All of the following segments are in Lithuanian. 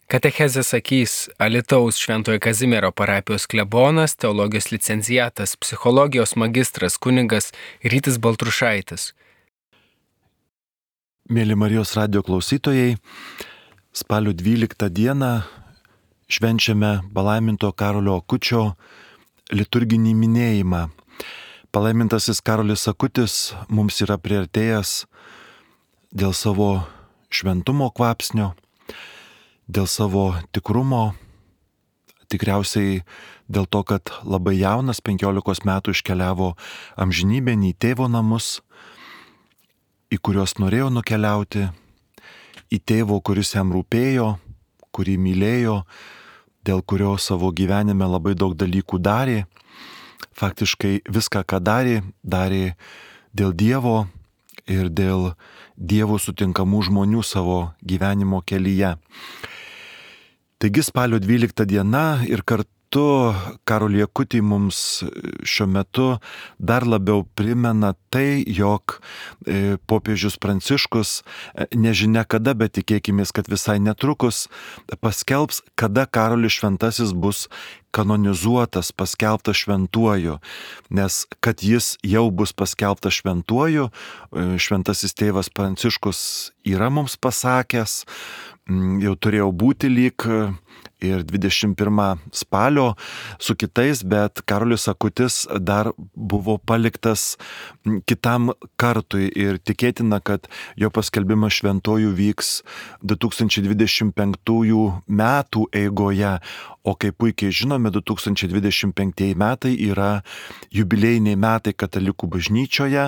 Katechezę sakys Alytaus Šventojo Kazimiero parapijos klebonas, teologijos licenciatas, psichologijos magistras kunigas Rytis Baltrušaitis. Mėly Marijos radijo klausytojai, spalio 12 dieną švenčiame palaiminto Karolio Akučio liturginį minėjimą. Palaimintasis Karolis Akutis mums yra priartėjęs dėl savo šventumo kvapsnio, dėl savo tikrumo, tikriausiai dėl to, kad labai jaunas 15 metų iškeliavo amžinybėn į tėvo namus, į kuriuos norėjo nukeliauti, į tėvo, kuris jam rūpėjo, kurį mylėjo, dėl kurio savo gyvenime labai daug dalykų darė. Faktiškai viską, ką darė dėl Dievo ir dėl Dievo sutinkamų žmonių savo gyvenimo kelyje. Taigi spalio 12 diena ir kartu Karolį Akutį mums šiuo metu dar labiau primena tai, jog popiežius Pranciškus nežinia kada, bet tikėkimės, kad visai netrukus paskelbs, kada Karolis Šventasis bus kanonizuotas, paskelbtas šventuoju. Nes kad jis jau bus paskelbtas šventuoju, šventasis tėvas Pranciškus yra mums pasakęs, jau turėjau būti lyg ir 21 spalio su kitais, bet Karolis Akutis dar buvo paliktas kitam kartui ir tikėtina, kad jo paskelbimas šventuoju vyks 2025 metų eigoje, o kaip puikiai žinome, 2025 metai yra jubiliejiniai metai katalikų bažnyčioje,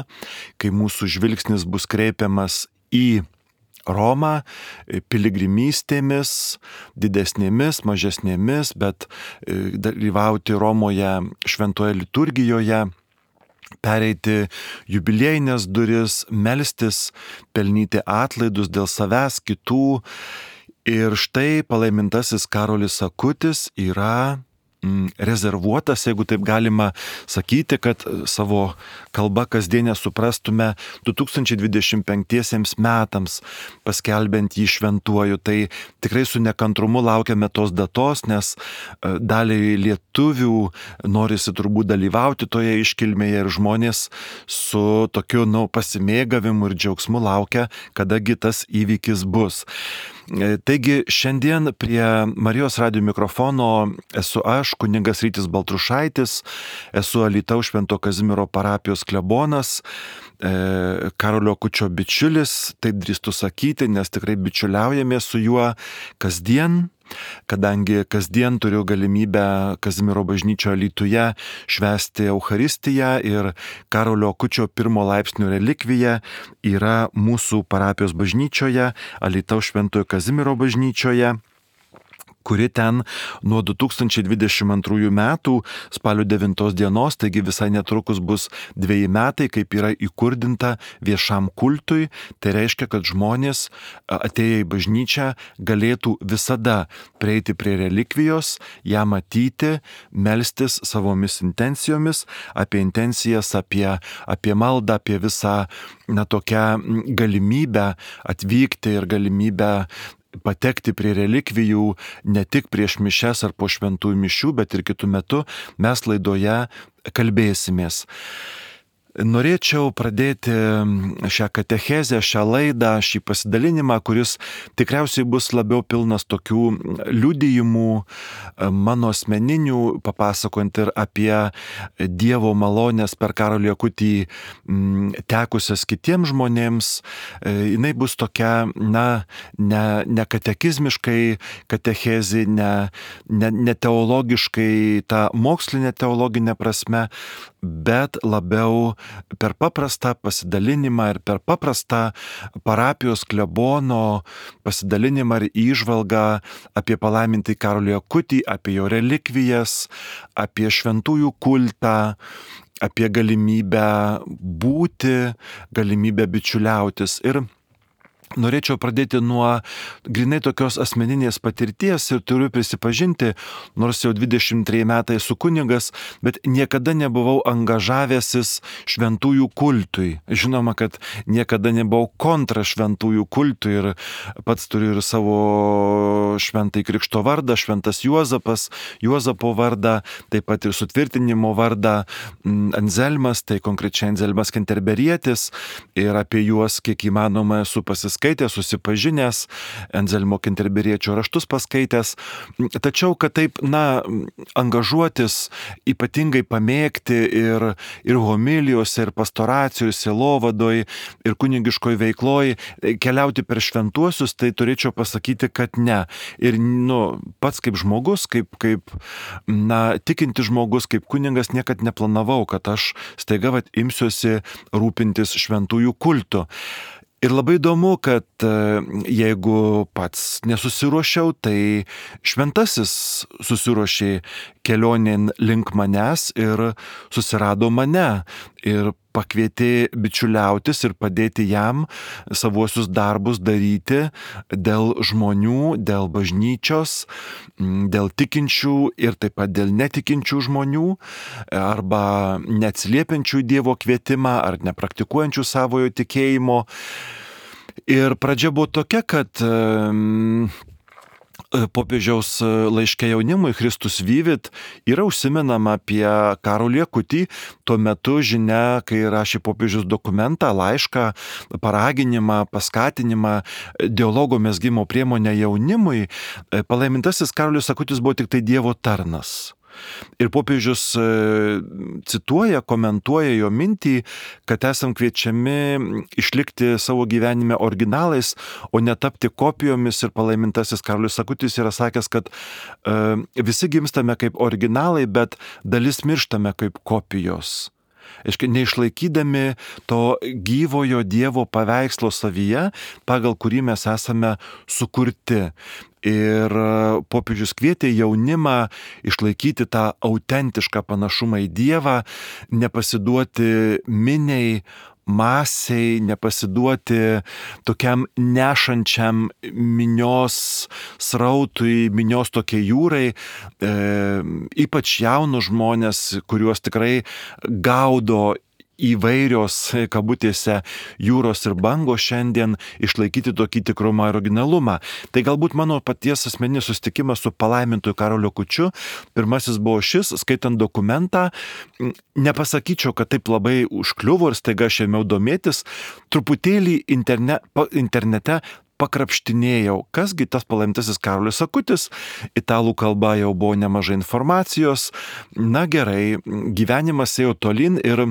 kai mūsų žvilgsnis bus kreipiamas į Romą piligrimystėmis, didesnėmis, mažesnėmis, bet dalyvauti Romoje šventoje liturgijoje, pereiti jubiliejinės duris, melstis, pelnyti atlaidus dėl savęs, kitų. Ir štai palaimintasis Karolis Akutis yra rezervuotas, jeigu taip galima sakyti, kad savo kalbą kasdienę suprastume 2025 metams, paskelbiant jį šventuoju. Tai tikrai su nekantrumu laukiame tos datos, nes daliai lietuvių norisi turbūt dalyvauti toje iškilmėje ir žmonės su tokiu pasimėgavimu ir džiaugsmu laukia, kadagi tas įvykis bus. Taigi šiandien prie Marijos radijo mikrofono esu aš, kunigas Rytis Baltrušaitis, esu Alytaus Švento Kazimiero parapijos klebonas, Karolio Akučio bičiulis, taip drįstu sakyti, nes tikrai bičiuliaujamės su juo kasdien. Kadangi kasdien turiu galimybę Kazimiero bažnyčioje Alytuje švęsti Eucharistiją ir Karolio Akučio pirmo laipsnio relikvija yra mūsų parapijos bažnyčioje, Alytaus Šventojo Kazimiero bažnyčioje, kuri ten nuo 2022 metų spalio 9 dienos, taigi visai netrukus bus 2 metai, kaip yra įkurdinta viešam kultui. Tai reiškia, kad žmonės atėję į bažnyčią galėtų visada prieiti prie relikvijos, ją matyti, melstis savomis intencijomis, apie intencijas, apie maldą, apie visą tokią galimybę atvykti ir galimybę patekti prie relikvijų ne tik prieš mišias ar po šventųjų mišių, bet ir kitų metų mes laidoje kalbėsimės. Norėčiau pradėti šią katechezę, šią laidą, šį pasidalinimą, kuris tikriausiai bus labiau pilnas tokių liudijimų, mano asmeninių, papasakojant ir apie Dievo malonės per Karolį Akutį tekusias kitiems žmonėms. Jinai bus tokia, ne katekizmiškai katechezė, ne teologiškai, ta mokslinė teologinė prasme, bet labiau per paprastą pasidalinimą ir per paprastą parapijos klebono pasidalinimą ir įžvalgą apie palaimintąjį Karolį Akutį, apie jo relikvijas, apie šventųjų kultą, apie galimybę būti, galimybę bičiuliautis. Ir Norėčiau pradėti nuo grinai tokios asmeninės patirties ir turiu prisipažinti, nors jau 23 metai esu kunigas, bet niekada nebuvau angažavęsis šventųjų kultui. Žinoma, kad niekada nebuvau kontra šventųjų kultui ir pats turiu ir savo šventąjį krikšto vardą, šventas Juozapas, Juozapo vardą, taip pat ir sutvirtinimo vardą Anzelmas, tai konkrečiai Anzelmas Kenterberietis, ir apie juos kiek įmanoma esu pasiskaitęs, susipažinęs, Anzelmo Kenterberiečio raštus paskaitęs. Tačiau, kad taip, angažuotis, ypatingai pamėgti ir homilijose, ir pastoracijoj, ir sielovadoj, ir kunigiškoj veikloj, keliauti per šventuosius, tai turėčiau pasakyti, kad ne. Ir pats kaip žmogus, kaip tikinti žmogus, kaip kunigas niekad neplanavau, kad aš staiga imsiuosi rūpintis šventųjų kultu. Ir labai įdomu, kad jeigu pats nesusiruošiau, tai šventasis susiruošė kelionėn link manęs ir susirado mane ir pakvietė bičiuliautis ir padėti jam savuosius darbus daryti dėl žmonių, dėl bažnyčios, dėl tikinčių ir taip pat dėl netikinčių žmonių arba neatsiliepiančių Dievo kvietimą ar nepraktikuojančių savojo tikėjimo. Ir pradžia buvo tokia, kad popiežiaus laiške jaunimui Christus Vivit yra užsimenama apie Karolį Akutį. Tuo metu žinia, kai rašė popiežius dokumentą, laišką, paraginimą, paskatinimą, dialogo mezgimo priemonę jaunimui, palaimintasis Karolis Akutis buvo tik tai Dievo tarnas. Ir popiežius cituoja, komentuoja jo mintį, kad esam kviečiami išlikti savo gyvenime originalais, o netapti kopijomis. Ir palaimintasis Karolis Akutis yra sakęs, kad visi gimstame kaip originalai, bet dalis mirštame kaip kopijos. Neišlaikydami to gyvojo Dievo paveikslo savyje, pagal kurį mes esame sukurti. Ir popiežius kvietė jaunimą išlaikyti tą autentišką panašumą į Dievą, nepasiduoti miniai, masiai, nepasiduoti tokiam nešančiam minios srautui, minios tokiai jūrai, ypač jaunus žmonės, kuriuos tikrai gaudo įvairios, kabutėse, jūros ir bangos šiandien, išlaikyti tokį tikrumą ir originalumą. Tai galbūt mano paties asmeninis susitikimas su palaimintuoju Karoliu Akučiu, pirmasis buvo šis, skaitant dokumentą, nepasakyčiau, kad taip labai užkliuvo ir staiga aš ėmiau domėtis, truputėlį internete pakrapštinėjau, kasgi tas palaimintasis Karolis Akutis, italų kalba jau buvo nemažai informacijos, gerai, gyvenimas ėjo tolyn ir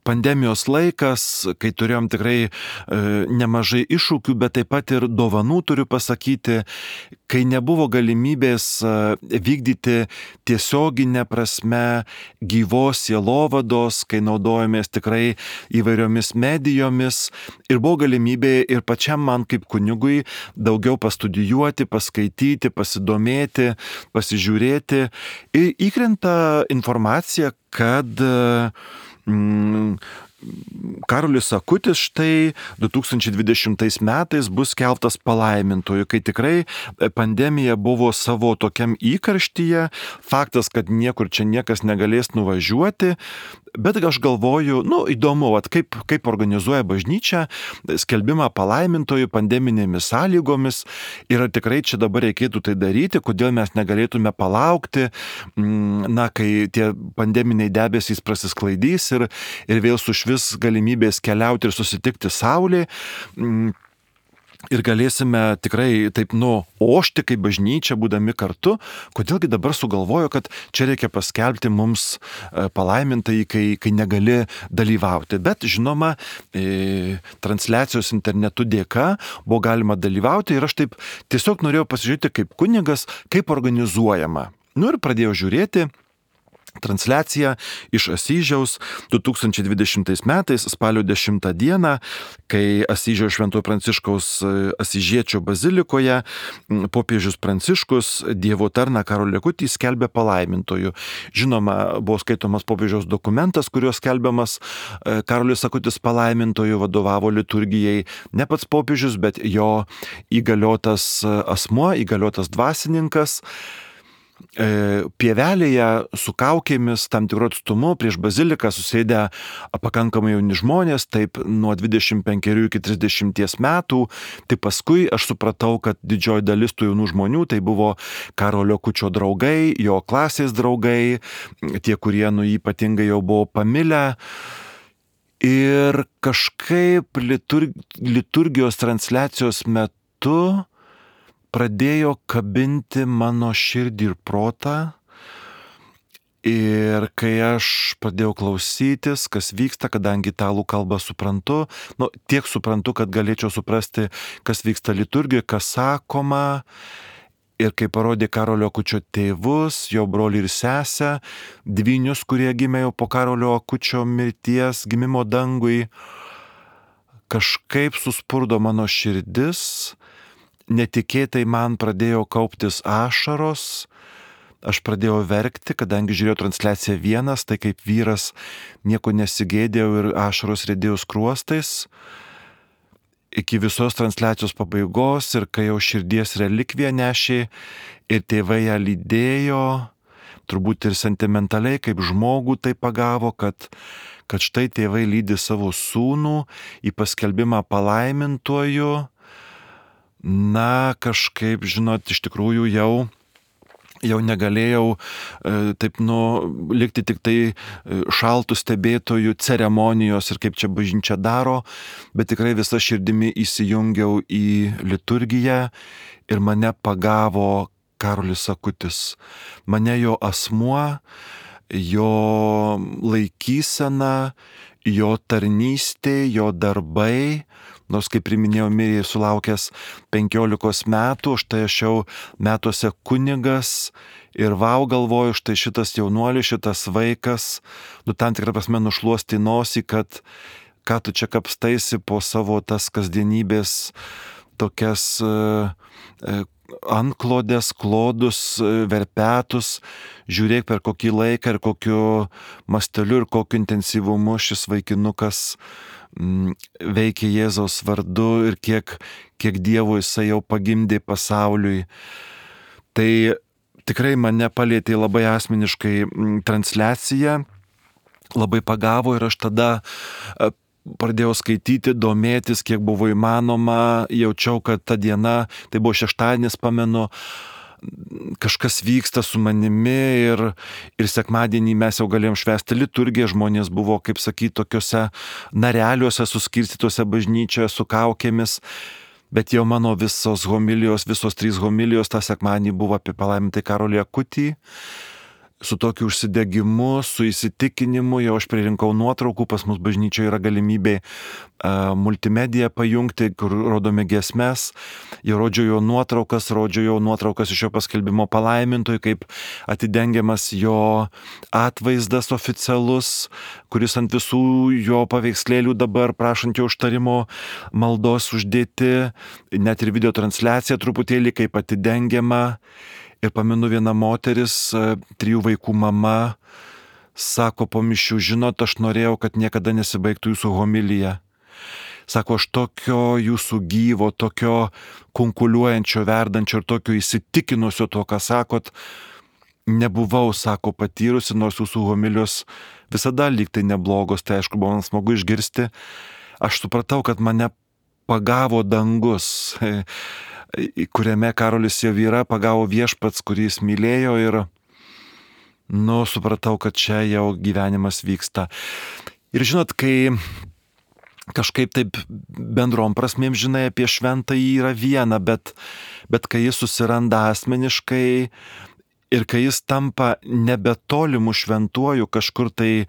pandemijos laikas, kai turėjom tikrai nemažai iššūkių, bet taip pat ir dovanų turiu pasakyti, kai nebuvo galimybės vykdyti tiesioginę prasme gyvos sielovados, kai naudojomės tikrai įvairiomis medijomis ir buvo galimybė ir pačiam man kaip kunigui daugiau pastudijuoti, paskaityti, pasidomėti, pasižiūrėti. Ir įkrenta informacija, kad Karolis Akutis štai 2020 metais bus skelbtas palaimintuoju, kai tikrai pandemija buvo savo tokiam įkarštyje, faktas, kad niekur čia niekas negalės nuvažiuoti, bet aš galvoju, įdomu, kaip organizuoja bažnyčia skelbimą palaimintuoju pandeminėmis sąlygomis ir ar tikrai čia dabar reikėtų tai daryti, kodėl mes negalėtume palaukti, kai tie pandeminiai debesys prasisklaidys ir vėl sušvis galimybės keliauti ir susitikti Saulėje. Ir galėsime tikrai taip ošti kaip bažnyčia, būdami kartu. Kodėlgi dabar sugalvojo, kad čia reikia paskelbti mums palaimintąjį, kai negali dalyvauti. Bet žinoma, transliacijos internetu dėka buvo galima dalyvauti ir aš taip tiesiog norėjau pasižiūrėti kaip kunigas, kaip organizuojama. Ir pradėjau žiūrėti. transliacija iš Asyžiaus 2020 metais spalio 10 dieną, kai Asyžiaus Šventojo Pranciškaus Asyžiečio bazilikoje popiežius Pranciškus Dievo tarną Karolį Akutį skelbė palaimintoju. Žinoma, buvo skaitomas popiežiaus dokumentas, kuriuo skelbiamas Karolis Akutis palaimintoju, vadovavo liturgijai ne pats popiežius, bet jo įgaliotas asmuo, įgaliotas dvasininkas. Pievelėje su kaukėmis tam tikru atstumu prieš baziliką susėdę pakankamai jauni žmonės, taip nuo 25 iki 30 metų. Tai paskui aš supratau, kad didžioji dalis tų jaunų žmonių tai buvo Karolio Akučio draugai, jo klasės draugai, tie, kurie jį ypatingai jau buvo pamilę. Ir kažkaip liturgijos transliacijos metu pradėjo kabinti mano širdį ir protą. Ir kai aš pradėjau klausytis, kas vyksta, kadangi italų kalbą suprantu, tiek suprantu, kad galėčiau suprasti, kas vyksta liturgijoje, kas sakoma. Ir kai parodė Karolio Akučio tėvus, jo brolį ir sesę, dvynius, kurie gimė jau po Karolio Akučio mirties, gimimo dangui, kažkaip suspurdo mano širdis. Netikėtai man pradėjo kauptis ašaros, aš pradėjau verkti, kadangi žiūrėjau transliaciją vienas, tai kaip vyras nieko nesigėdėjau ir ašaros riedėjo skruostais. Iki visos transliacijos pabaigos ir kai jau širdies relikviją nešė ir tėvai ją lydėjo, turbūt ir sentimentaliai kaip žmogų tai pagavo, kad štai tėvai lydi savo sūnų į paskelbimą palaimintuoju. Kažkaip, žinot, iš tikrųjų jau negalėjau likti tik tai šaltų stebėtojų ceremonijos ir kaip čia bažnyčia daro, bet tikrai visa širdimi įsijungiau į liturgiją ir mane pagavo Karolis Akutis. Mane jo asmuo, jo laikysena, jo tarnystė, jo darbai. Nors, kaip priminėjau, mirė sulaukęs 15 metų, štai aš jau metuose kunigas ir galvoju, štai šitas jaunuolis, šitas vaikas, tam tikrą prasme nušluosti nosį, kad ką tu čia kapstaisi po savo tas kasdienybės tokias antklodės, klodus, verpetus, žiūrėk per kokį laiką ir kokiu masteliu ir kokiu intensyvumu šis vaikinukas veikia Jėzaus vardu ir kiek Dievo jisai jau pagimdė pasauliui. Tai tikrai mane palietė labai asmeniškai transliacija, labai pagavo ir aš tada pradėjau skaityti, domėtis, kiek buvo įmanoma, jaučiau, kad ta diena, tai buvo šeštadienis, pamenu, kažkas vyksta su manimi ir sekmadienį mes jau galėjom švęsti liturgiją, žmonės buvo, kaip sakyti, tokiuose nareliuose suskirstytuose bažnyčioje su kaukėmis, bet jau mano visos 3 homilijos tą sekmadienį buvo apie palaimintąjį Karolį Akutį. Su tokiu užsidegimu, su įsitikinimu, jau aš pririnkau nuotraukų, pas mus bažnyčioje yra galimybė multimediją pajungti, kur rodome giesmes, jau rodžiau jo nuotraukas iš jo paskelbimo palaimintojui, kaip atidengiamas jo atvaizdas oficialus, kuris ant visų jo paveikslėlių dabar prašant jo užtarimo maldos uždėti, net ir video transliacija truputėlį kaip atidengiama. Ir pamenu, viena moteris, 3 vaikų mama, sako po mišių, žinot, aš norėjau, kad niekada nesibaigtų jūsų homilija. Sako, aš tokio jūsų gyvo, tokio kunkuliuojančio, verdančio ir tokio įsitikinusio to, ką sakot, nebuvau, sako, patyrusi, nors jūsų homilijos visada lyg tai neblogos, tai aišku, buvo man smagu išgirsti. Aš supratau, kad mane pagavo dangus, kuriame Karolis jau yra, pagavo viešpats, kurį jis mylėjo ir, supratau, kad čia jau gyvenimas vyksta. Ir žinot, kai kažkaip taip bendrom prasmėm žinai apie šventąjį yra viena, bet kai jis susiranda asmeniškai ir kai jis tampa nebetolimu šventuoju kažkur tai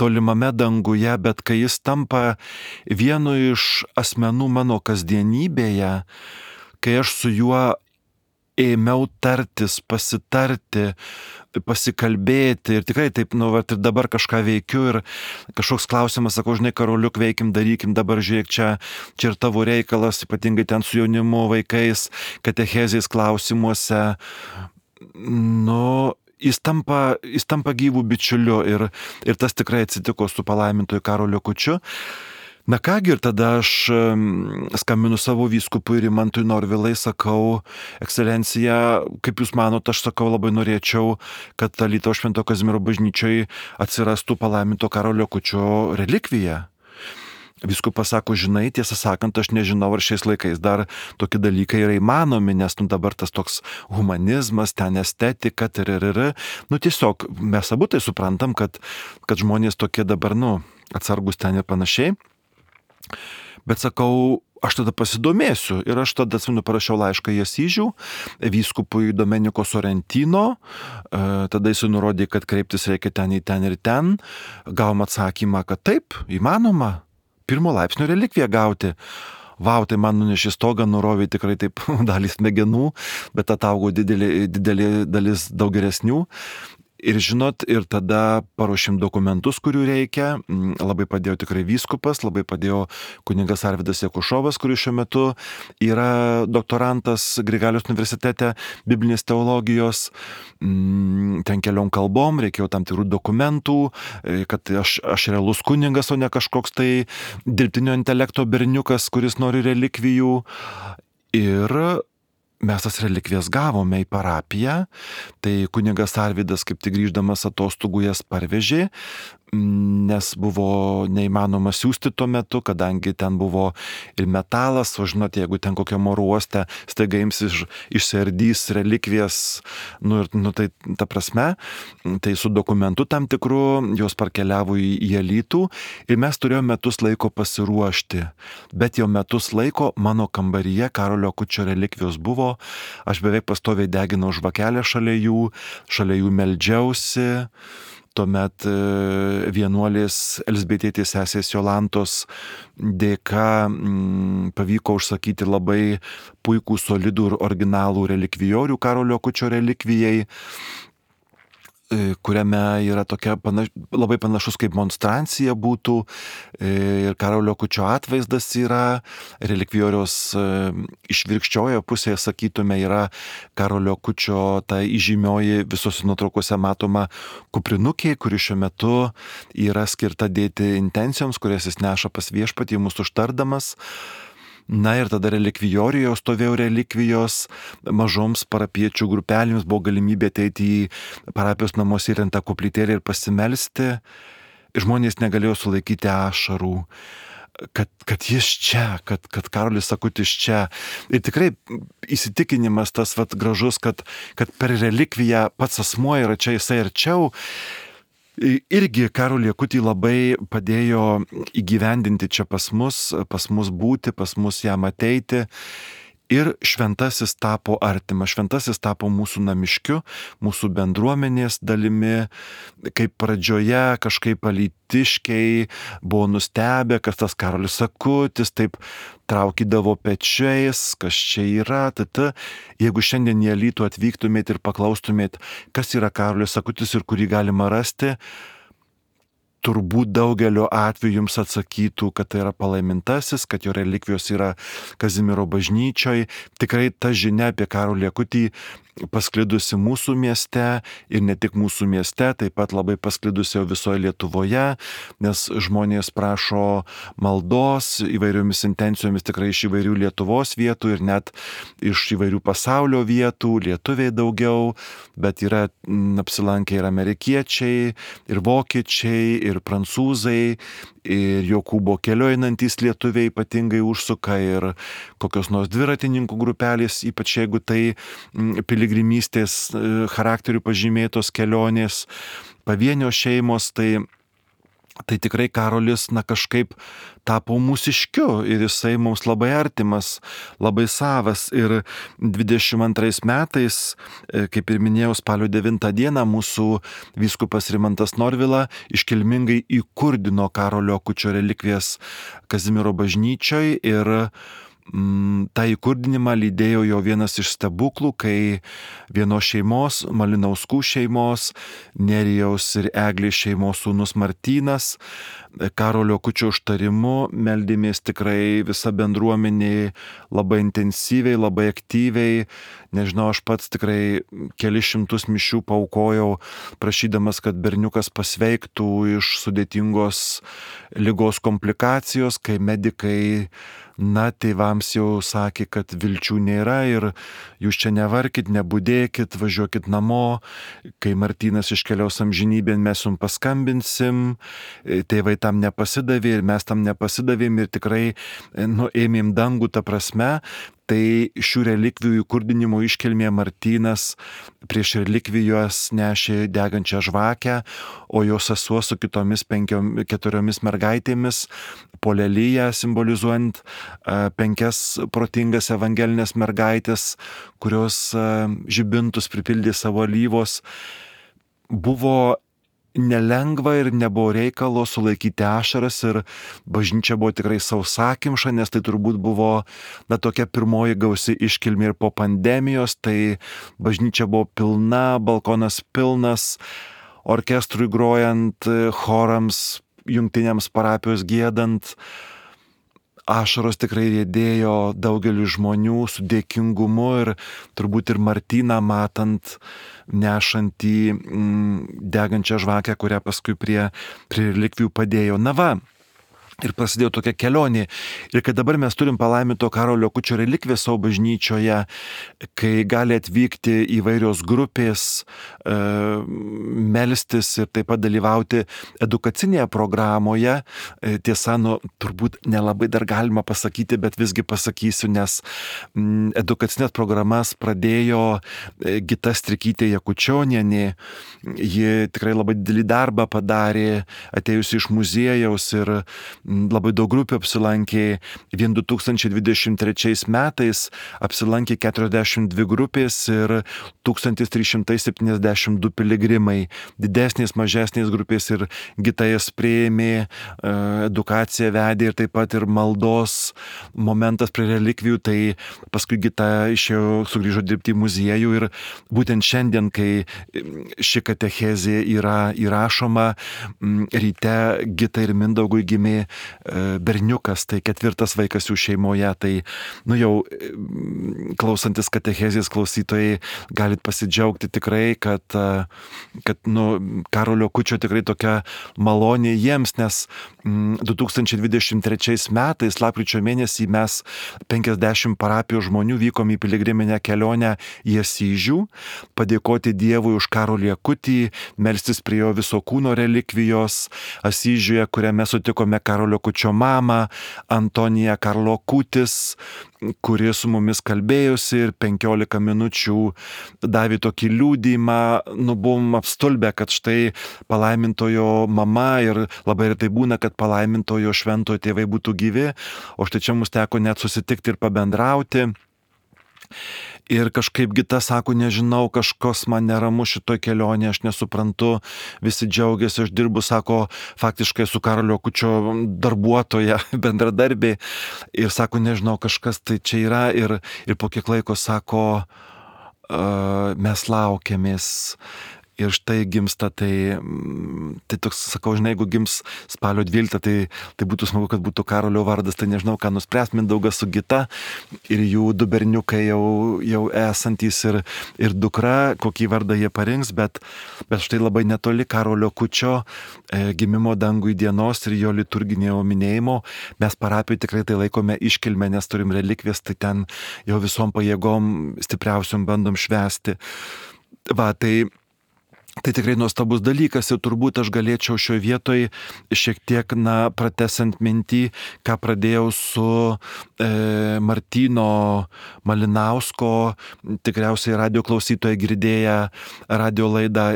tolimame danguje, bet kai jis tampa vienu iš asmenų mano kasdienybėje, kai aš su juo ėmiau tartis, pasitarti, pasikalbėti ir tikrai taip, vat, ir dabar kažką veikiu ir kažkoks klausimas, sakau, žinai, Karoliuk, veikim, darykim, dabar žiūrėk, čia ir tavo reikalas, ypatingai ten su jaunimu, vaikais, katechezės klausimuose. Jis tampa gyvų bičiuliu ir tas tikrai atsitiko su palaimintoju Karoliu Kučiu. Na kągi, ir tada aš skambinu savo vyskupui Rimantui Norvilai, sakau, ekscelencija, kaip jūs manot, aš sakau, labai norėčiau, kad Alytaus Švento Kazimiero bažnyčioje atsirastų palaiminto Karolio Kučio relikvija. Vyskupas sako, žinai, tiesą sakant, aš nežinau, ar šiais laikais dar tokie dalykai yra įmanomi, nes dabar tas toks humanizmas, ten estetika, tiesiog mes abu tai suprantam, kad žmonės tokie dabar, atsargus ten ir panašiai. Bet sakau, aš tada pasidomėsiu ir aš tada parašiau laišką į Asyžių, vyskupui Domeniko Sorrentino, tada jis nurodė, kad kreiptis reikia ten ir ten, gavom atsakymą, kad taip, įmanoma. Pirmo laipsnio relikviją gauti. Vau, tai man nunešė stogą, nurovė tikrai taip dalys smegenų, bet ataugo didelė dalis daug geresnių. Ir žinot, ir tada paruošėm dokumentus, kurių reikia. Labai padėjo tikrai vyskupas, labai padėjo kunigas Arvydas Jakušovas, kuris šiuo metu yra doktorantas Grigaliaus universitete biblinės teologijos. Ten keliom kalbom, reikėjo tam tikrų dokumentų, kad aš realus kunigas, o ne kažkoks tai dirbtinio intelekto berniukas, kuris nori relikvijų. Ir mes tas relikvijas gavome į parapiją, tai kunigas Arvydas kaip tik grįždamas atostogų jas parvežė, nes buvo neįmanoma siųsti tuo metu, kadangi ten buvo ir metalas, o žinot, jeigu ten kokiam oro uoste staiga ims išsiardys relikvijas, tai ta prasme, tai su dokumentu tam tikru jos parkeliavo į Alytų ir mes turėjome metus laiko pasiruošti, bet jau metus laiko mano kambaryje Karolio Kučio relikvijos buvo, aš beveik pastoviai deginau žvakelę šalia jų meldžiausi. Tuomet vienuolės Elzbietėtės sesės Jolantos dėka pavyko užsakyti labai puikų, solidų ir originalų relikvijorių Karolio Kučio relikvijai, kuriame yra tokia labai panašus kaip monstrancija būtų ir Karolio Kučio atvaizdas yra, relikvijoriaus išvirkščioje pusėje, sakytume, yra Karolio Kučio ta įžymioji visose nuotraukose matoma kuprinukė, kuri šiuo metu yra skirta dėti intencijoms, kurias jis neša pas viešpatį mūsų užtardamas. Na ir tada relikvijorijoje stovėjo relikvijos, mažoms parapiečių grupelėms buvo galimybė ateiti į parapijos namus įrengtą koplytėlę ir pasimelsti. Žmonės negalėjo sulaikyti ašarų, kad jis čia, kad Karolis Akutis čia. Ir tikrai įsitikinimas tas gražus, kad per relikviją pats asmuo yra čia, jisai arčiau. Irgi Karolį Akutį labai padėjo įgyvendinti čia pas mus būti, pas mus jam ateiti. Ir šventasis tapo artimas, šventasis tapo mūsų namiškiu, mūsų bendruomenės dalimi, kaip pradžioje kažkaip alytiškiai buvo nustebę, kad tas Karolis Akutis taip traukydavo pečiais, kas čia yra. Jeigu šiandien į Alytų atvyktumėt ir paklaustumėt, kas yra Karolis Akutis ir kurį galima rasti, turbūt daugelio atveju jums atsakytų, kad tai yra palaimintasis, kad jo relikvijos yra Kazimiero bažnyčioje. Tikrai ta žinia apie Karolį Akutį pasklidusi mūsų mieste ir ne tik mūsų mieste, taip pat labai pasklidusi jau visoje Lietuvoje, nes žmonės prašo maldos įvairiomis intencijomis tikrai iš įvairių Lietuvos vietų ir net iš įvairių pasaulio vietų, lietuviai daugiau, bet yra apsilankę ir amerikiečiai, ir vokiečiai, ir prancūzai, ir Jokūbo kelio einantys lietuviai ypatingai užsuka ir kokios nors dviratininkų grupelės, ypač jeigu tai piligrimystės charakterių pažymėtos kelionės, pavienio šeimos, tai tikrai Karolis kažkaip tapo mūsiškiu ir jisai mums labai artimas, labai savas. Ir 22 metais, kaip ir minėjau, spalio 9 dieną mūsų vyskupas Rimantas Norvila iškilmingai įkurdino Karolio Akučio relikvijas Kazimiero bažnyčioje ir tą įkurdinimą lydėjo jo vienas iš stebuklų, kai vienos šeimos, Malinauskų šeimos, Nerijaus ir Eglės šeimos sūnus Martynas Karolio Akučio užtarimu meldėmės tikrai visa bendruomenė labai intensyviai, labai aktyviai. Nežinau, aš pats tikrai kelis šimtus mišių paaukojau, prašydamas, kad berniukas pasveiktų iš sudėtingos ligos komplikacijos, kai medikai tėvams jau sakė, kad vilčių nėra ir jūs čia nevarkit, nebudėkit, važiuokit namo, kai Martynas iškeliaus amžinybėn, mes jums paskambinsim, tėvai tam nepasidavė ir mes tam nepasidavėm ir tikrai ėmėm dangų tą prasme. Tai šių relikvijų įkurdinimo iškilmė Martynas prieš relikvijos nešė degančią žvakę, o jo sesuo su kitomis 4 mergaitėmis po lelyje, simbolizuojant 5 protingas evangelinės mergaitės, kurios žibintus pripildė savo alyvos. Buvo nelengva ir nebuvo reikalo sulaikyti ašaras ir bažnyčia buvo tikrai sausakimša, nes tai turbūt buvo tokia pirmoji gausi iškilmė ir po pandemijos, tai bažnyčia buvo pilna, balkonas pilnas, orkestrui grojant, chorams, jungtiniams parapijos giedant. Ašaros tikrai riedėjo daugeliu žmonių su dėkingumu ir turbūt ir Martyną matant nešantį degančią žvakę, kurią paskui prie relikvijų padėjo. Ir prasidėjo tokia kelionė. Ir kad dabar mes turim palaiminto Karolio Akučio relikviją savo bažnyčioje, kai gali atvykti įvairios grupės, melstis ir taip pat dalyvauti edukacinėje programoje. Tiesa, turbūt nelabai dar galima pasakyti, bet visgi pasakysiu, nes edukacinės programas pradėjo Gita Strikytė Jakučionienė. Ji tikrai labai didelį darbą padarė, atėjusi iš muziejaus ir labai daug grupių apsilankė. Vien 2023 metais apsilankė 42 grupės ir 1372 piligrimai. Didesnės, mažesnės grupės ir Gita jas priėmė, edukaciją vedė ir taip pat ir maldos momentas prie relikvijų. Tai paskui Gita sugrįžo dirbti į muziejų ir būtent šiandien, kai ši katechezė yra įrašoma, ryte Gita ir Mindaugui gimė berniukas, tai 4 vaikas jų šeimoje. Tai jau klausantis katechezės klausytojai galit pasidžiaugti tikrai, kad Karolio Akučio tikrai tokia malonė jiems, nes 2023 metais, lapkričio mėnesį, mes 50 parapijos žmonių vykom į piligriminę kelionę į Asyžių, padėkoti Dievui už Karolį Akutį, melstis prie jo viso kūno relikvijos Asyžiuje, kuriame sutikome Karolio Akučio mamą, Antoniją Karlo Kutis, kuri su mumis kalbėjosi ir 15 minučių davė tokį liudijimą. Buvom apstulbę, kad štai palaimintojo mama, ir labai retai būna, kad palaimintojo šventojo tėvai būtų gyvi, o štai čia mums teko net susitikti ir pabendrauti. Ir kažkaip Gita sako, nežinau, kažkas man neramu šitoj kelionėje, aš nesuprantu, visi džiaugiasi, aš dirbu, sako, faktiškai su Karolio Akučio darbuotoja, bendradarbė, ir sako, nežinau, kažkas tai čia yra, ir po kiek laiko sako, mes laukiamės. Ir štai gimsta, tai toks, sakau, žinai, jeigu gims spalio 12, tai būtų smagu, kad būtų Karolio vardas, tai nežinau, ką nuspręs Mindaugas su Gita ir jų 2 berniukai jau esantys ir dukra, kokį vardą jie parinks, bet štai labai netoli Karolio Akučio gimimo dangui dienos ir jo liturginio minėjimo mes parapijoje tikrai tai laikome iškilmę, nes turim relikvijas, tai ten jau visom pajėgom stipriausiom bandom švęsti. Tai tikrai nuostabus dalykas ir turbūt aš galėčiau šioje vietoje šiek tiek pratęsiant mintį, ką pradėjau su Martyno Malinausko, tikriausiai radio klausytojai girdėję radio laidą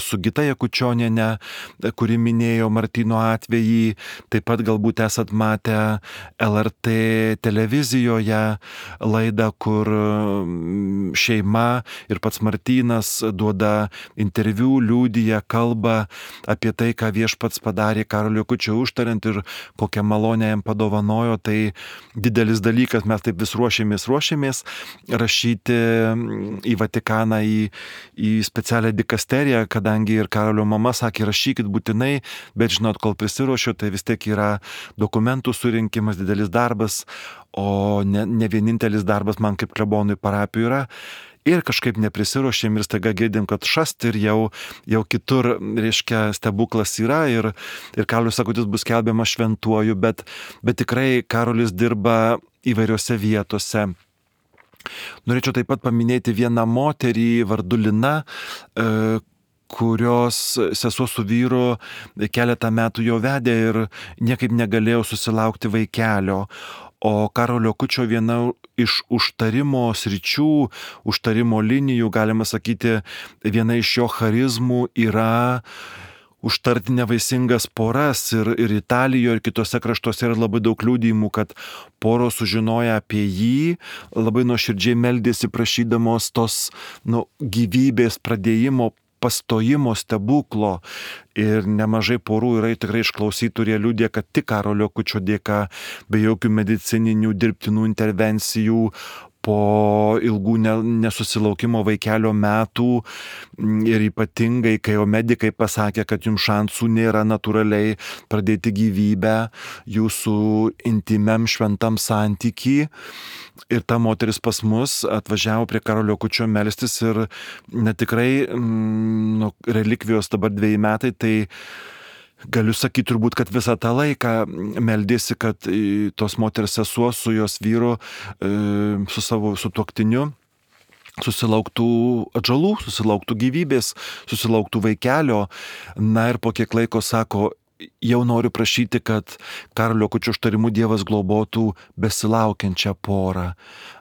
su Gita Jakučioniene, kuri minėjo Martyno atvejį, taip pat galbūt esat matę LRT televizijoje laidą, kur šeima ir pats Martynas duoda interviu liūdija, kalba apie tai, ką Viešpats padarė Karolio Akučio užtariant ir kokią malonę jam padovanojo, tai didelis dalykas, mes taip vis ruošėmės rašyti į Vatikaną, į specialią dikasteriją, kadangi ir Karolio mama sakė, rašykit būtinai, bet žinot, kol prisiruošiu, tai vis tiek yra dokumentų surinkimas, didelis darbas, o ne vienintelis darbas man kaip klebonui parapijų yra. Ir kažkaip neprisiruošėm ir staiga girdim, kad šast ir jau kitur, reiškia, stebuklas yra ir Karolis Akutis bus skelbiamas šventuoju, bet tikrai Karolis dirba įvairiose vietose. Norėčiau taip pat paminėti vieną moterį vardu Lina, kurios sesuo su vyru keletą metų jau vedė ir niekaip negalėjo susilaukti vaikelio. O Karolio Akučio viena iš užtarimo sričių, užtarimo linijų, galima sakyti, viena iš jo charizmų yra užtarti nevaisingas poras ir Italijoje, ir kitose kraštuose yra labai daug liudijimų, kad poros sužinoja apie jį, labai nuoširdžiai meldėsi prašydamos tos gyvybės pradėjimo, pastojimo stebuklo. Ir nemažai porų yra tikrai išklausytų, kurie liudija, kad tik Karolio Akučio dėka, be jokių medicininių dirbtinų intervencijų, po ilgų nesusilaukimo vaikelio metų ir ypatingai, kai jau medikai pasakė, kad jums šansų nėra natūraliai pradėti gyvybę jūsų intimiam šventam santykiui. Ir ta moteris pas mus atvažiavo prie Karolio Akučio melstis ir netikrai relikvijos dabar 2 metai, tai galiu sakyti turbūt, kad visą tą laiką meldėsi, kad tos moters sesuo su jos vyru, su savo sutuoktiniu susilauktų atžalų, susilauktų gyvybės, susilauktų vaikelio. Na ir po kiek laiko sako, jau noriu prašyti, kad Karolio Akučio užtarimu Dievas globotų besilaukiančią porą.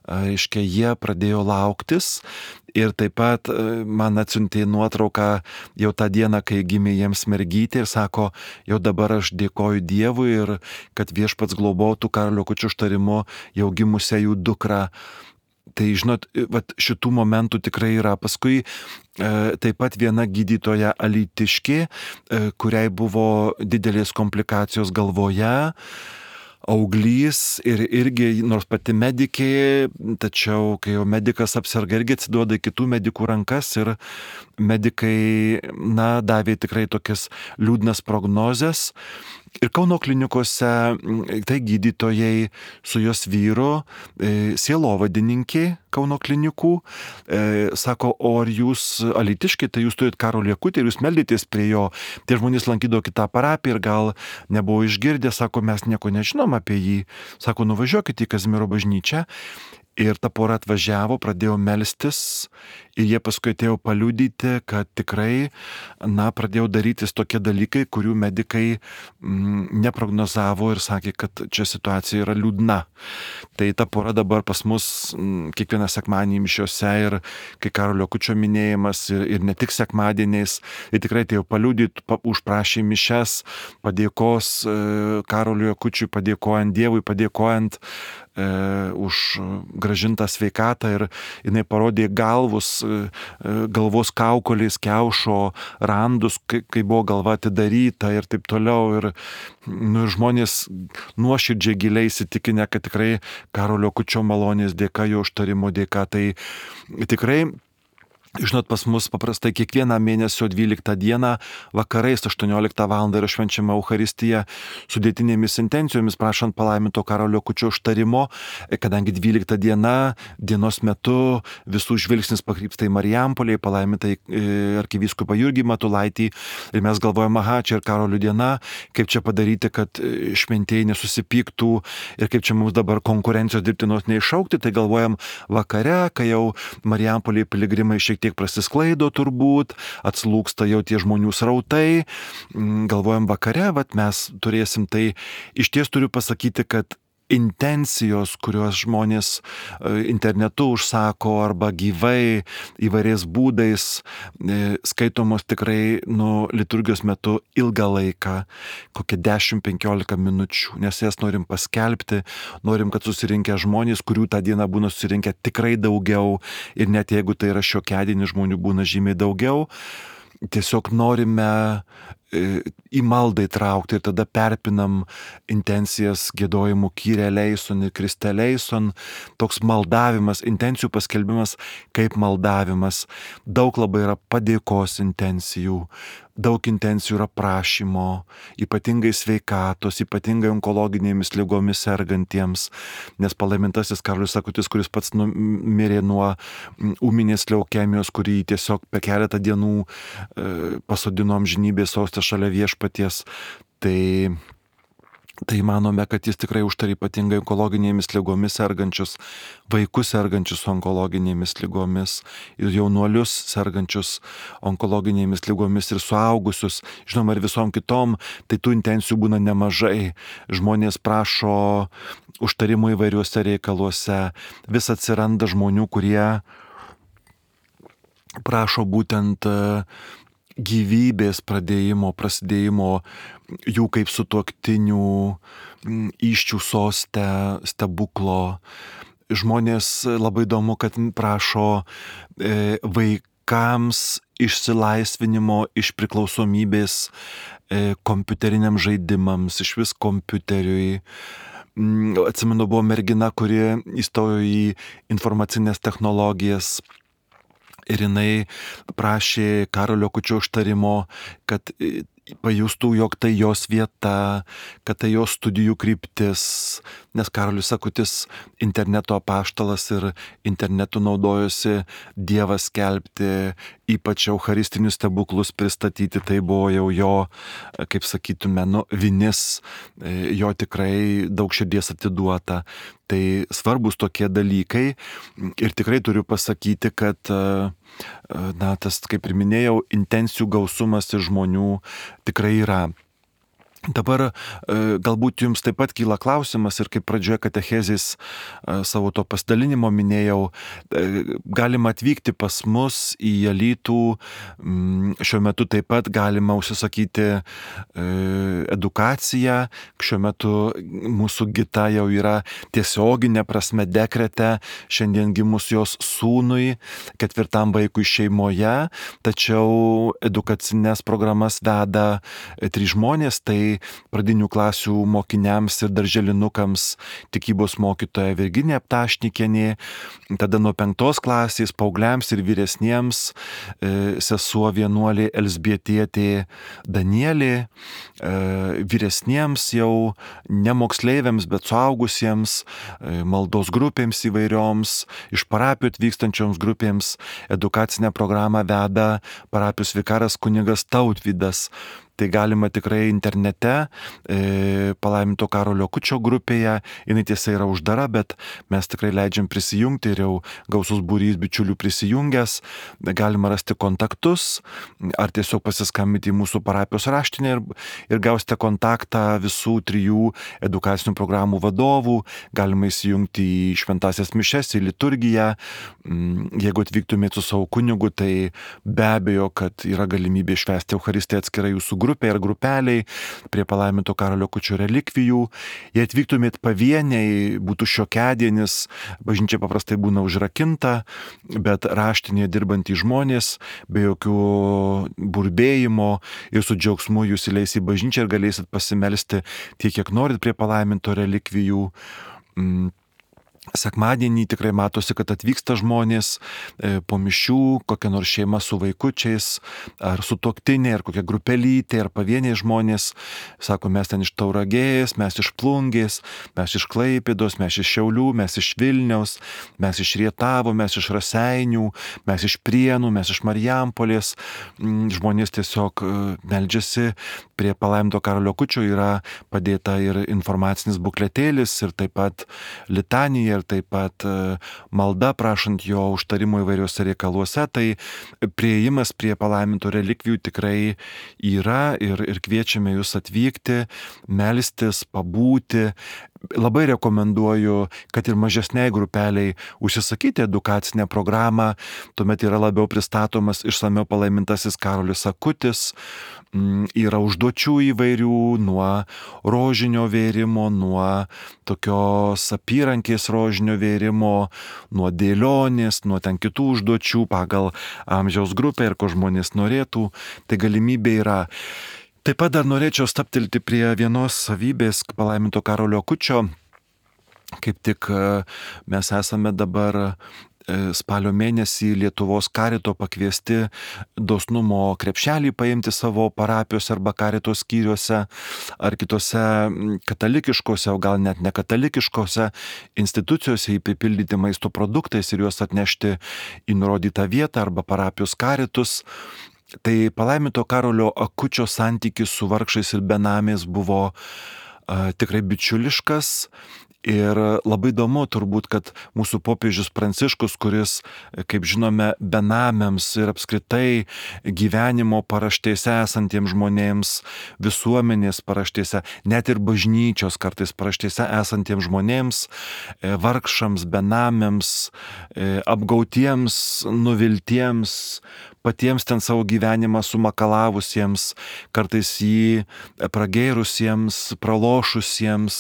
Reiškia, jie pradėjo lauktis ir taip pat man atsiuntė nuotrauką jau tą dieną, kai gimė jiems mergytė ir sako, jau dabar aš dėkoju Dievui ir kad Viešpats globotų Karolio Akučio užtarimu jau gimusią jų dukrą. Tai žinot, šitų momentų tikrai yra. Paskui taip pat viena gydytoja alytiškė, kuriai buvo didelės komplikacijos galvoje, auglys ir irgi, nors pati medikė, tačiau kai jau medikas apserga, irgi atsiduoda į kitų medikų rankas ir medikai, davė tikrai tokias liūdnas prognozes. Ir Kauno klinikose tai gydytojai su jos vyru, sielovadininkė Kauno klinikų, sako, o ar jūs alytiški, tai jūs turit Karolį Akutį ir jūs meldėtės prie jo. Tie žmonės lankydavo kitą parapiją ir gal nebuvo išgirdę, sako, mes nieko nežinom apie jį. Sako, nuvažiuokite į Kazimiero bažnyčią. Ir ta pora atvažiavo, pradėjo melstis ir jie paskui atėjo paliudyti, kad tikrai, pradėjo darytis tokie dalykai, kurių medikai neprognozavo ir sakė, kad čia situacija yra liūdna. Tai ta pora dabar pas mus kiekvieną sekmadienį mišiose ir kai Karolio Akučio minėjimas ir ne tik sekmadieniais, ir tikrai atėjo paliudyti, užprašė mišes, padėkos Karoliui Akučiui, padėkojant Dievui, padėkojant už gražintą sveikatą ir jinai parodė galvos kaukolės, kiaušo randus, kai buvo galva atidaryta ir taip toliau. Ir žmonės nuoširdžiai giliai įsitikinę, kad tikrai Karolio Akučio malonės dėka, jo užtarimo dėka, tai tikrai. Žinot, pas mus paprastai kiekvieną mėnesio 12 dieną vakarais 18 val. Yra švenčiama Eucharistija sudėtinėmis intencijomis, prašant palaiminto Karolio Akučio užtarimo, kadangi 12 diena, dienos metu visų žvilgsnis pakrypsta į Marijampolę, palaimintai arkivyskupą Jurgį Matulaitį ir mes galvojame, čia ir Karolio diena, kaip čia padaryti, kad šventieji nesusipyktų ir kaip čia mums dabar konkurencijos dirbtinos neišaukti, tai galvojam vakare, kai jau Marijampolėje piligrimai šiek tiek prasisklaido turbūt, atslūksta jau tie žmonių srautai, galvojam vakare, mes turėsim tai. Iš ties turiu pasakyti, kad intencijos, kuriuos žmonės internetu užsako arba gyvai įvairiais būdais skaitomos tikrai liturgijos metu ilgą laiką, kokią 10-15 minučių, nes jas norim paskelbti, norim, kad susirinkę žmonės, kurių tą dieną būna susirinkę tikrai daugiau ir net jeigu tai yra šiokiadienį žmonių būna žymiai daugiau, tiesiog norime į maldą įtraukti ir tada perpinam intencijas giedojimų Kyrie eleison ir Kriste eleison, toks maldavimas, intencijų paskelbimas kaip maldavimas. Daug labai yra padėkos intencijų, daug intencijų yra prašymo, ypatingai sveikatos, ypatingai onkologinėmis ligomis sergantiems, nes palaimintasis Karolis Akutis, kuris pats mirė nuo ūminės leukemijos, kurį tiesiog per keletą dienų pasodino amžinybės soste šalia viešpaties, tai manome, kad jis tikrai užtarė ypatingai onkologinėmis ligomis sergančius, vaikus sergančius onkologinėmis ligomis ir jaunuolius sergančius onkologinėmis ligomis ir suaugusius, žinoma, ir visom kitom, tai tų intencijų būna nemažai. Žmonės prašo užtarimų įvairiuose reikaluose, vis atsiranda žmonių, kurie prašo būtent gyvybės prasidėjimo jų kaip sutuoktinių įsčių soste stebuklo. Žmonės labai įdomu, kad prašo vaikams išsilaisvinimo iš priklausomybės kompiuteriniams žaidimams, iš vis kompiuteriui. Atsimenu, buvo mergina, kuri įstojo į informacinės technologijas. Ir jinai prašė Karolio Akučio užtarimo, kad pajustų, jog tai jos vieta, kad tai jos studijų kryptis, nes Karolis Akutis interneto apaštalas ir internetu naudojosi Dievą skelbti, ypač eucharistinius stebuklus pristatyti, tai buvo jau jo, kaip sakytume, vinis, jo tikrai daug širdies atiduota. Tai svarbus tokie dalykai ir tikrai turiu pasakyti, kad tas, kaip ir minėjau, intencijų gausumas ir žmonių tikrai yra. Dabar galbūt jums taip pat kyla klausimas ir kaip pradžioje katechezės savo to pasidalinimo minėjau, galima atvykti pas mus į Alytų, šiuo metu taip pat galima užsisakyti edukaciją, šiuo metu mūsų Gita jau yra tiesioginė prasme dekrete, šiandien gimus jos sūnui, 4 vaikui šeimoje, tačiau edukacinės programas veda 3 žmonės, tai pradinių klasių mokiniams ir darželinukams tikybos mokytoja Virginija Ptašnikienė, tada nuo 5 klasės paaugliams ir vyresniems sesuo vienuolė Elzbietietė Danielė, vyresniems jau ne moksleiviams, bet suaugusiems, maldos grupėms įvairioms, iš parapijų atvykstančioms grupėms edukacinę programą veda parapijos vikaras kunigas Tautvydas. Tai galima tikrai internete, palaiminto Karolio Akučio grupėje, jinai tiesa yra uždara, bet mes tikrai leidžiam prisijungti ir jau gausus būrys bičiulių prisijungęs, galima rasti kontaktus, ar tiesiog pasiskambinti į mūsų parapijos raštinę ir gausite kontaktą visų 3 edukacinių programų vadovų, galima įsijungti į šventasias mišes, į liturgiją, jeigu atvyktumėte su savo kunigu, tai be abejo, kad yra galimybė švęsti Eucharistiją atskirai jūsų grupė ir grupeliai prie palaiminto Karolio Akučio relikvijų. Jei atvyktumėt pavieniai, būtų šiokiadienis, bažnyčia paprastai būna užrakinta, bet raštinėje dirbantys žmonės be jokių burbėjimo ir su džiaugsmu jūs įleis į bažnyčią ir galėsit pasimelsti tiek, kiek norit prie palaiminto relikvijų. Sekmadienį tikrai matosi, kad atvyksta žmonės po mišių, kokia nors šeima su vaikučiais, ar sutuoktinė, ar kokia grupelytė, ar pavieniai žmonės. Sako, mes ten iš Tauragės, mes iš Plungės, mes iš Klaipėdos, mes iš Šiaulių, mes iš Vilniaus, mes iš Rietavo, mes iš Raseinių, mes iš Prienų, mes iš Marijampolės. Žmonės tiesiog meldžiasi prie palaiminto Karolio Akučio, yra padėta ir informacinis bukletėlis, ir taip pat litanija, ir taip pat malda prašant jo užtarimo įvairiuose reikaluose, tai priėjimas prie palaiminto relikvijų tikrai yra ir kviečiame jūs atvykti, melstis, pabūti. labai rekomenduoju, kad ir mažesniai grupeliai užsisakyti edukacinę programą, tuomet yra labiau pristatomas išsamiau palaimintasis Karolis Akutis, yra užduočių įvairių, nuo rožinio vėrimo, nuo tokios apyrankės rožinio vėrimo, nuo dėlionės, nuo ten kitų užduočių pagal amžiaus grupę ir ko žmonės norėtų, tai galimybė yra. Taip pat dar norėčiau staptelti prie vienos savybės palaiminto Karolio Akučio. Kaip tik mes esame dabar spalio mėnesį Lietuvos karito pakviesti dosnumo krepšelį paimti savo parapijos arba karito skyriuose ar kitose katalikiškose, o gal net nekatalikiškose institucijose įpipildyti maisto produktais ir juos atnešti į nurodytą vietą arba parapijos karitus. Tai palaiminto Karolio Akučio santykis su vargšais ir benamiais buvo tikrai bičiuliškas. Ir labai įdomu turbūt, kad mūsų popiežius Pranciškus, kuris, kaip žinome, benamiams ir apskritai gyvenimo paraštėse esantiems žmonėms, visuomenės paraštėse, net ir bažnyčios kartais paraštėse esantiems žmonėms, vargšams, benamiams, apgautiems, nuviltiems, patiems ten savo gyvenimą sumakalavusiems, kartais jį pragėrusiems, pralošusiems,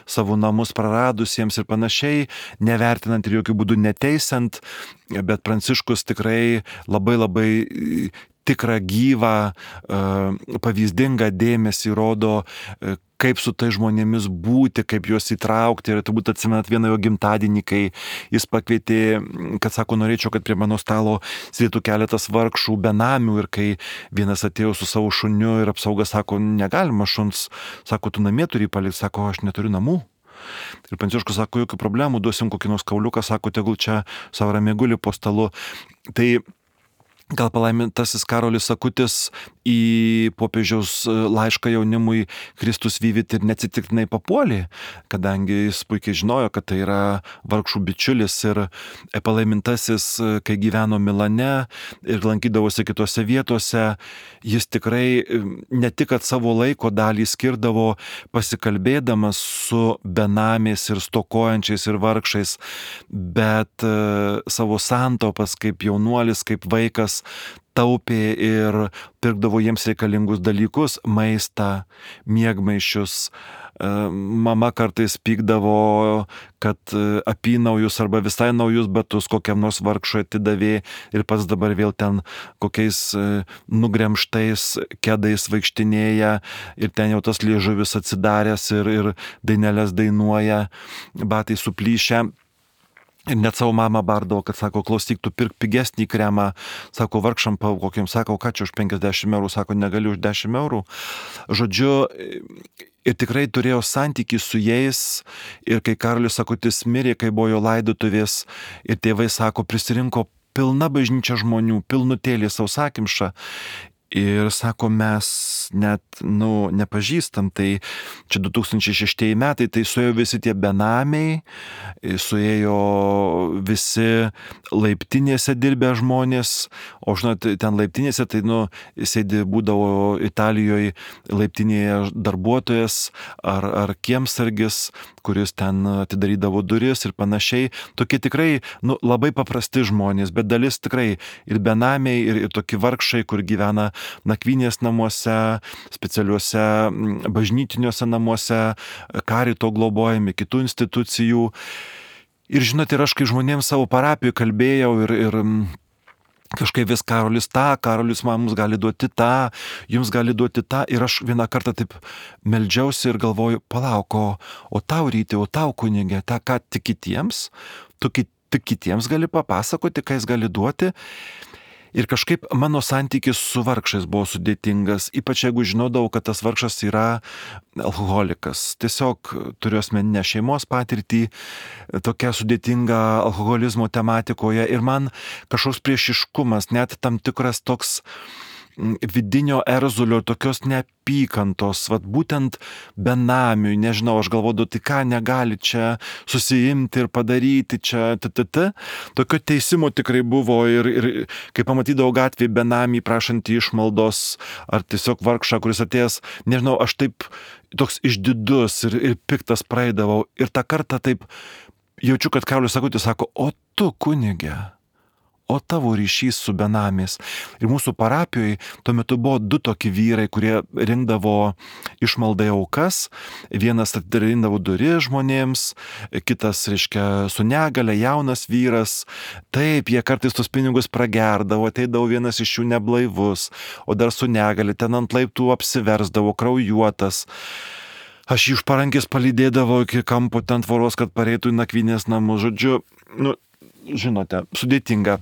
savo namus praradusiems ir panašiai, nevertinant ir jokių būdų neteisant, bet Pranciškus tikrai labai tikrą gyvą, pavyzdingą dėmesį rodo, kaip su tai žmonėmis būti, kaip juos įtraukti. Ir turbūt atsimenat vieną jo gimtadienį, kai jis pakvietė, kad sako, norėčiau, kad prie mano stalo sėdėtų keletas vargšų benamių, ir kai vienas atėjo su savo šuniu ir apsauga sako, negalima šuns, sako, tu namie turi palikti, sako, aš neturiu namų. Ir Pranciškus sako, jokių problemų, duosim kokį nors kauliuką, sako, tegul čia savo ramiai guli po stalu. Tai gal palaimintasis Karolis Akutis į popiežiaus laišką jaunimui Kristus Vivit ir neatsitiktinai papuolė, kadangi jis puikiai žinojo, kad tai yra vargšų bičiulis, ir palaimintasis, kai gyveno Milane ir lankydavosi kitose vietose, jis tikrai ne tik kad savo laiko dalį skirdavo pasikalbėdamas su benamiais ir stokojančiais ir vargšais, bet savo santaupas kaip jaunuolis, kaip vaikas taupė ir pirkdavo jiems reikalingus dalykus, maistą, miegmaišius. Mama kartais pykdavo, kad apynaujus arba visai naujus batus kokiam nors vargšui atidavė ir pats dabar vėl ten kokiais nugremštais kedais vaikštinėja ir ten jau tas liežuvis atsidaręs ir dainelės dainuoja, batai suplyšę. Ir net savo mamą bardavo, kad sako, klausyk, tu pirk pigesnį kremą, sako, vargšam kokiam, sako, ką čia už 50 eurų, sako, negali už 10 eurų. Žodžiu, ir tikrai turėjo santykį su jais, ir kai Karolis Akutis mirė, kai buvo jo laidotuvės, ir tėvai, sako, prisirinko pilna bažnyčia žmonių, pilnutėlė sausakimša. Ir sako, mes net, nepažįstam, tai čia 2006 metai, tai suėjo visi tie benamiai, suėjo visi laiptinėse dirbę žmonės, o žinot, ten laiptinėse, tai, sėdi būdavo Italijoje laiptinėje darbuotojas ar kiemsargis, kuris ten atidarydavo duris ir panašiai. Tokie tikrai, labai paprasti žmonės, bet dalis tikrai ir benamiai, ir tokie vargšai, kur gyvena nakvynės namuose, specialiuose bažnytiniuose namuose, karito globojami, kitų institucijų. Ir žinot, ir aš kai žmonėms savo parapijoje kalbėjau ir kažkaip vis Karolis mums gali duoti tą, jums gali duoti tą. Ir aš vieną kartą taip meldžiausi ir galvoju, palauk, o tau Ryti, o tau kunigė, tą ką tik kitiems, tu tik kitiems gali papasakoti, ką jis gali duoti. Ir kažkaip mano santykis su vargšais buvo sudėtingas, ypač jeigu žinodavau, kad tas vargšas yra alkoholikas. Tiesiog turiu asmeninę šeimos patirtį, tokia sudėtinga alkoholizmo tematikoje, ir man kažkoks priešiškumas, net tam tikras toks vidinio erzulio, tokios neapykantos, vat būtent benamiui, nežinau, aš galvodu, tai ką negali čia susiimti ir padaryti čia, tokio teisimo tikrai buvo ir kai pamatydavau gatvėje benamį prašantį išmaldos, ar tiesiog vargšą, kuris atėjęs, nežinau, aš taip toks išdidus ir piktas praeidavau ir tą kartą taip jaučiu, kad Karolis Akutis sako, o tu kunige, o tavo ryšys su benamiais. Ir mūsų parapijoje tuo metu buvo 2 tokie vyrai, kurie rinkdavo išmaldai aukas. Vienas atidarindavo duris žmonėms, kitas, reiškia, su negale, jaunas vyras. Taip, jie kartais tos pinigus pragerdavo, ateidavo vienas iš jų neblaivus, o dar su negale, ten ant laiptų apsiversdavo, kraujuotas. Aš jį už parankės palydėdavo iki kampo ten tvoros, kad pareitų į nakvynės namus. Žodžiu, žinote, sudėtinga.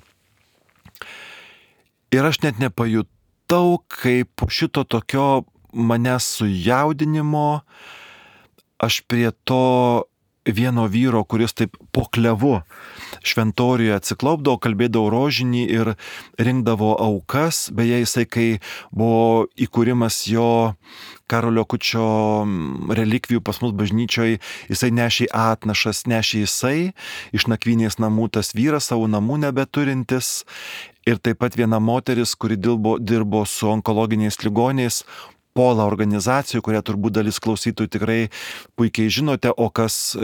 Ir aš net nepajutau, kaip po šito tokio manęs sujaudinimo aš prie to vieno vyro, kuris taip po klevu šventoriuje atsiklaupdavo, kalbėdavo rožinį ir rinkdavo aukas. Beje, jisai, kai buvo įkūrimas jo Karolio Akučio relikvijų pas mus bažnyčioje, jisai nešė atnašas, nešė jisai iš nakvynės namų, tas vyras savo namų nebeturintis. Ir taip pat viena moteris, kuri dirbo su onkologiniais ligoniais, Pola organizacijų, kurią turbūt dalis klausytojų tikrai puikiai žinote, o kas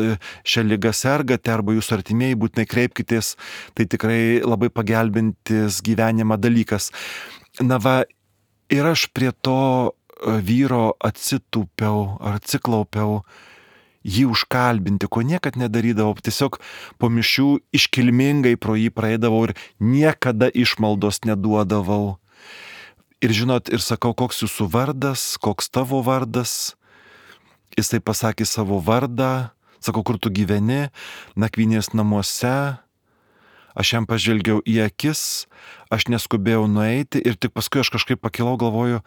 šią ligą sergate arba jūsų artimieji, būtinai kreipkitės, tai tikrai labai pagelbintis gyvenimą dalykas. Na va, ir aš prie to vyro atsitūpiau ar atsiklaupiau jį užkalbinti, ko niekad nedarydavau, tiesiog po mišių iškilmingai pro jį praeidavau ir niekada išmaldos neduodavau. Ir žinot, ir sakau, koks jūsų vardas, koks tavo vardas. Jisai pasakė savo vardą, sakau, kur tu gyveni, nakvynės namuose. Aš jam pažvelgiau į akis, aš neskubėjau nueiti ir tik paskui aš kažkaip pakilau, galvoju,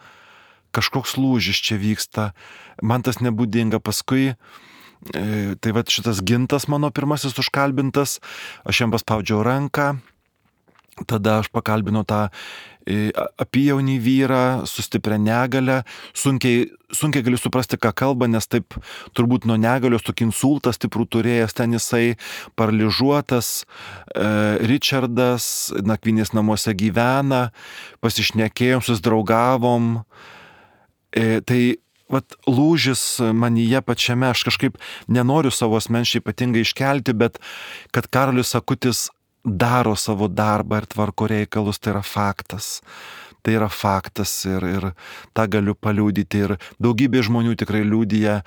kažkoks lūžis čia vyksta. Man tas nebūdinga. Paskui, tai va šitas Gintas mano pirmasis užkalbintas, aš jam paspaudžiau ranką. Tada aš pakalbinau tą apyjaunį vyrą su stipria negale. Sunkiai galiu suprasti, ką kalba, nes taip turbūt nuo negalios tokį insultą stiprų turėjęs, ten jisai paralyžiuotas. Richardas nakvynės namuose gyvena, pasišnekėjom, susidraugavom. Tai vat lūžis manyje pačiame, aš kažkaip nenoriu savo asmeniškai ypatingai iškelti, bet kad Karolis Akutis daro savo darbą ir tvarko reikalus, tai yra faktas. Tai yra faktas ir tą galiu paliudyti. Ir daugybė žmonių tikrai liudija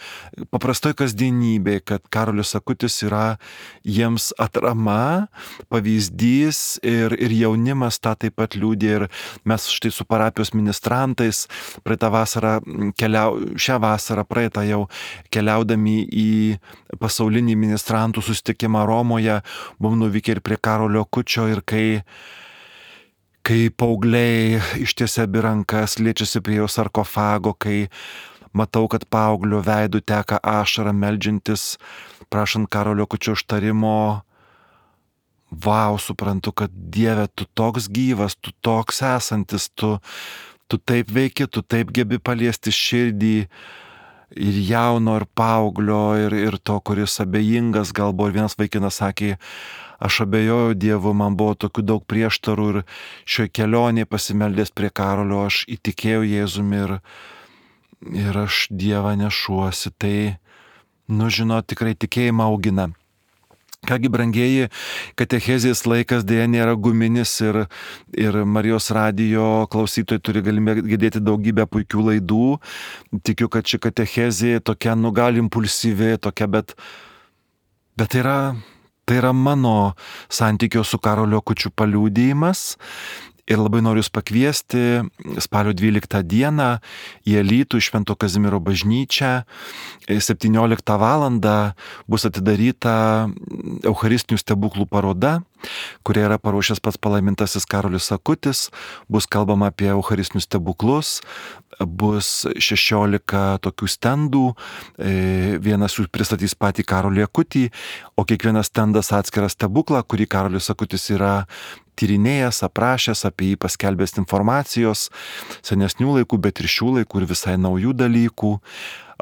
paprastoj kasdienybėje, kad Karolis Akutis yra jiems atrama, pavyzdys ir jaunimas tą taip pat liudija. Ir mes štai su parapijos ministrantais šią vasarą praeitą jau keliaudami į pasaulinį ministrantų susitikimą Romoje, buvom nuvykę ir prie Karolio Akučio ir kai paaugliai ištiesia abi rankas, liečiasi prie jo sarkofago, kai matau, kad paauglio veidų teka ašara meldžiantis, prašant Karolio Akučio užtarimo, vau, suprantu, kad Dieve, tu toks gyvas, tu toks esantis, tu taip veiki, tu taip gebi paliesti širdį ir jauno, ir paauglio, ir to, kuris abejingas galbūt. Ir vienas vaikinas sakė, aš abejojau Dievu, man buvo tokių daug prieštarų ir šioje kelionėje pasimeldęs prie Karolio, aš įtikėjau Jėzumi ir aš Dievą nešuosi. Tai, žinot, tikrai tikėjimą augina. Kągi, brangieji, katechezės laikas dėja nėra guminis ir Marijos radijo klausytojai turi galimybę girdėti daugybę puikių laidų. Tikiu, kad ši katechezė tokia, gal impulsyvi, tokia, bet tai yra mano santykio su Karoliu Akučiu paliudijimas. Ir labai noriu jūs pakviesti spalio 12 dieną į Alytų į Švento Kazimiero bažnyčią. 17 valandą bus atidaryta Eucharistinių stebuklų paroda, kurią yra paruošęs pats palaimintasis Karolis Akutis. Bus kalbama apie Eucharistinius stebuklus, bus 16 tokių stendų, vienas jų pristatys patį Karolį Akutį, o kiekvienas stendas atskiras stebuklą, kurį Karolis Akutis yra tyrinėjęs, aprašęs, apie jį paskelbęs informacijos, senesnių laikų, bet ir šių laikų ir visai naujų dalykų.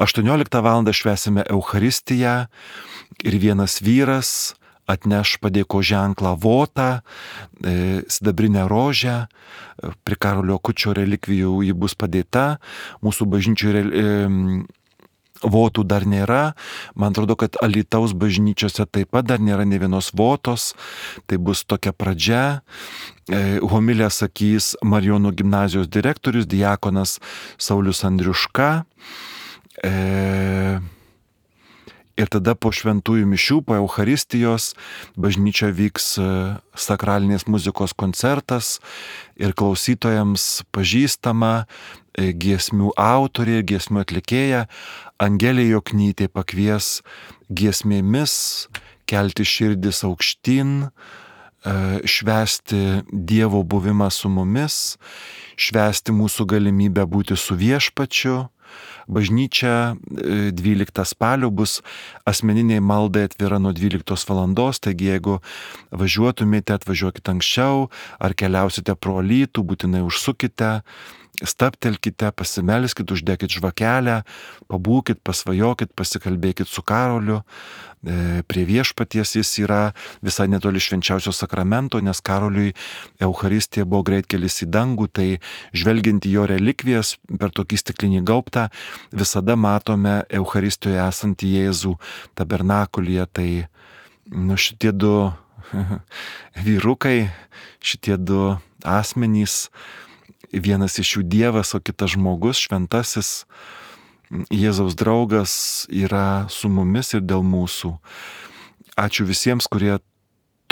18 val. Švęsime Eucharistiją ir vienas vyras atneš padėko ženklą votą, sidabrinę rožę, prie Karolio Akučio relikvijų ji bus padėta, mūsų bažnyčioje votų dar nėra, man atrodo, kad Alytaus bažnyčiose taip pat dar nėra ne vienos votos, tai bus tokia pradžia. Homilę sakys Marijonų gimnazijos direktorius, diakonas Saulius Andriuška. Ir tada po šventųjų mišių, po Eucharistijos, bažnyčia vyks sakralinės muzikos koncertas ir klausytojams pažįstama giesmių autorė, giesmių atlikėja Angelė Joknytė pakvies giesmėmis kelti širdis aukštyn, švęsti Dievo buvimą su mumis, švęsti mūsų galimybę būti su Viešpačiu. Bažnyčia 12 spalio bus asmeniniai maldai atvira nuo 12 valandos, taigi jeigu važiuotumėte, atvažiuokite anksčiau, ar keliausite pro Alytų, būtinai užsukite, stabtelkite, pasimelskit, uždekit žvakelę, pabūkit, pasvajokit, pasikalbėkit su Karoliu. Prie Viešpaties jis yra visai netoli švenčiausio sakramento, nes Karoliui Eucharistija buvo greitkelis į dangų, tai žvelgiant į jo relikvijas per tokį stiklinį gaubtą, visada matome Eucharistijoje esantį Jėzų tabernakulyje. Tai šitie du vyrukai, šitie du asmenys, vienas iš jų Dievas, o kitas žmogus, šventasis Jėzaus draugas yra su mumis ir dėl mūsų. Ačiū visiems, kurie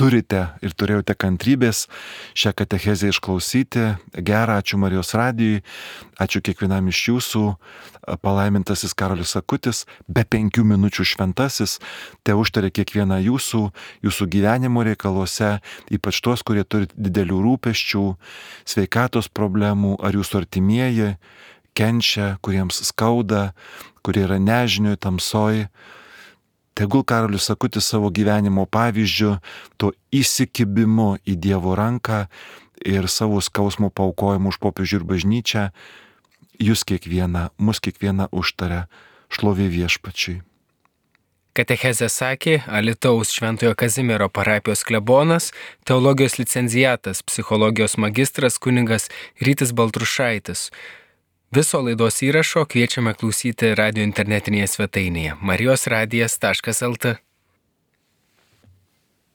turite ir turėjote kantrybės šią katechezę išklausyti. Gerą, ačiū Marijos radijui, ačiū kiekvienam iš jūsų. Palaimintasis Karolis Akutis, be 5 minučių šventasis, te užtarė kiekvieną jūsų gyvenimo reikaluose, ypač tuos, kurie turi didelių rūpesčių, sveikatos problemų, ar jūsų artimieji kenčia, kuriems skauda, kurie yra nežinioj, tamsoj. Tegul Karolis Akutis savo gyvenimo pavyzdžiu, to įsikibimu į Dievo ranką ir savo skausmo paaukojimu už popiežių ir bažnyčią, jūs kiekvieną, mus kiekvieną užtaria. Šlovė Viešpačiui. Katechezę sakė Alytaus Šventojo Kazimiero parapijos klebonas, teologijos licenciatas, psichologijos magistras kunigas Rytis Baltrušaitis. Viso laidos įrašo kviečiame klausyti radio internetinėje svetainėje marijosradijas.lt.